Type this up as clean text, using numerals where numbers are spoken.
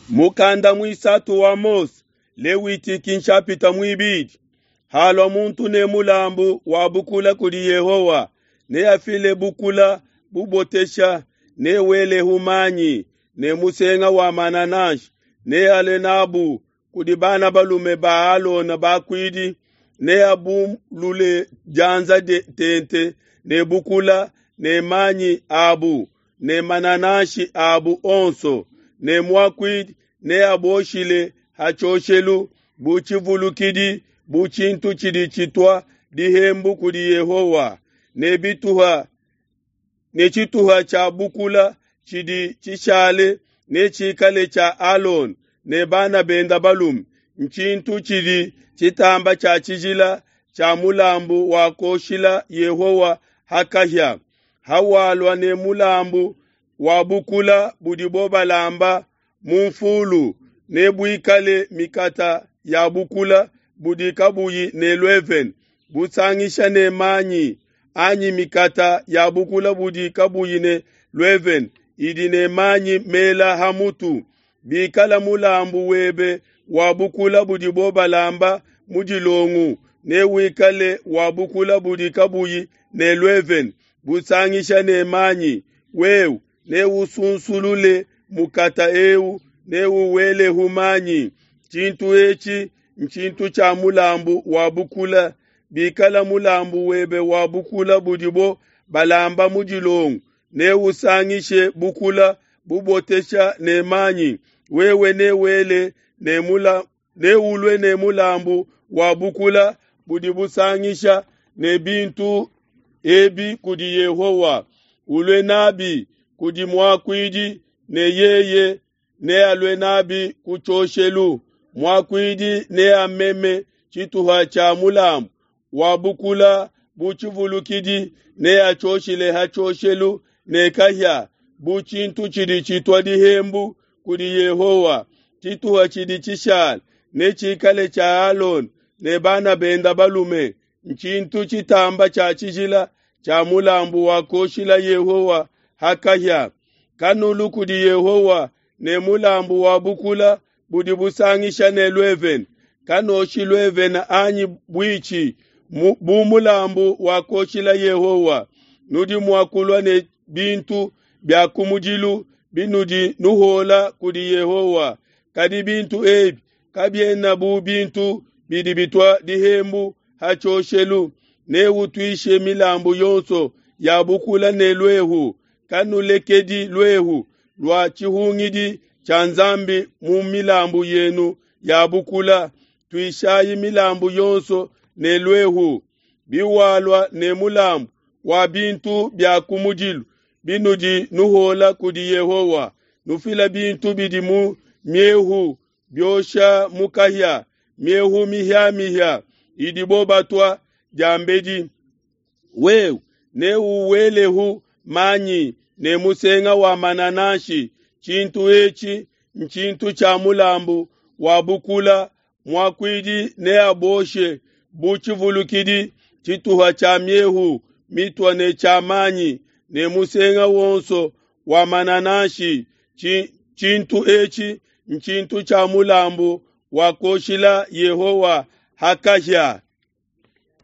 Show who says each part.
Speaker 1: Mukanda muisatu wa Mose, Lewitiki nshapita muibidi. Halua muntu ne mulambu wa bukula kudi Yehowa, neafile bukula bubotesha, newelehu manyi ne musenga wa manananshi, nealue nabu kudi bana balume ba Alona bakuidi, neabulule dianza tente ne bukula ne manyi abu ne manananshi abu onso, ne muakuidi neaboshile ha tshioshelu bu tshivulukidi bu tshintu tshidi tshitua dihembu kudi Yehowa, ne bituha ne tshituha tshia bukula tshidi tshishale netshikale tshia Alona ne bana bende balume, ntshintu tshidi tshitamba tshia tshijila tshia mulambu wa kuoshila Yehowa ha kahia. Hawalua ne mulambu wa bukula budibo balamba mu nfulu, nebuikale mikata ya bukula budi kabuyi ne luevene busangisha ne manyi, anyi mikata ya bukula budi kabuyi ne luevene idi ne manyi mela ha mutu. Bikala mulambu webe wa bukula budibo balamba mu dilongo, newikale wa bukula budi kabuyi ne luevene busangisha ne manyi. Wewe neusunsulule mukata eu, neuwelehu manyi. Tshintu etshi ntshintu tshia mulambu wa bukula. Bikala mulambu webe wa bukula budibo balamba mu dilongo, neusangishe bukula bubotesha ne manyi. Wewe newele ne mula neulue ne mulambu wa bukula budi busangisha ne bintu ebi kudi Yehowa, ulue nabi kudi muakuidi, ne yeye nealue nabi ku tshioshelu. Muakuidi neameme tshituha tshia mulambu wa bukula bu tshivulukidi, neatshioshile ha tshioshelu ne kahia bu tshintu tshidi tshitua dihembu kudi Yehowa. Tshituha tshidi tshishala netshikale tshia Alona ne bana bende balume, ntshintu tshitamba tshia tshijila tshia mulambu wa kuoshila Yehowa ha kahia. Kanulu kudi Yehowa ne mulambu wa bukula budi busangisha ne luevene. Kanoshi luevene anyi buitshi bu mulambu wa kuoshila Yehowa. Nudi mua kulua ne bintu bia kumudilu binudi nuhuola kudi Yehowa, kadi bintu ebi kabiena bu bintu bidi bitua dihembu ha tshioshelu. Neutuishe milambu yonso ya bukula ne luehu. Kanulekedi luehu lua tshihungidi tshia Nzambi mu milambu yenu ya bukula. Tuishayi milambu yonso ne luehu. Biwalua ne mulambu wa bintu bia kumudilu binudi nuhuola kudi Yehowa, nufila bintu bidi mu miehu biosha mu kahia, miehu mihiamihia idibo batua diambedi. Wewe neuwelehu manyi ne musenga wa manananshi. Tshintu etshi ntshintu tshia mulambu wa bukula. Muakuidi neaboshe bu tshivulukidi tshituha tshia miehu mitua ne tshia manyi ne musenga wonso wa manananshi. Tshintu etshi ntshintu tshia mulambu wa kuoshila Yehowa ha kahia.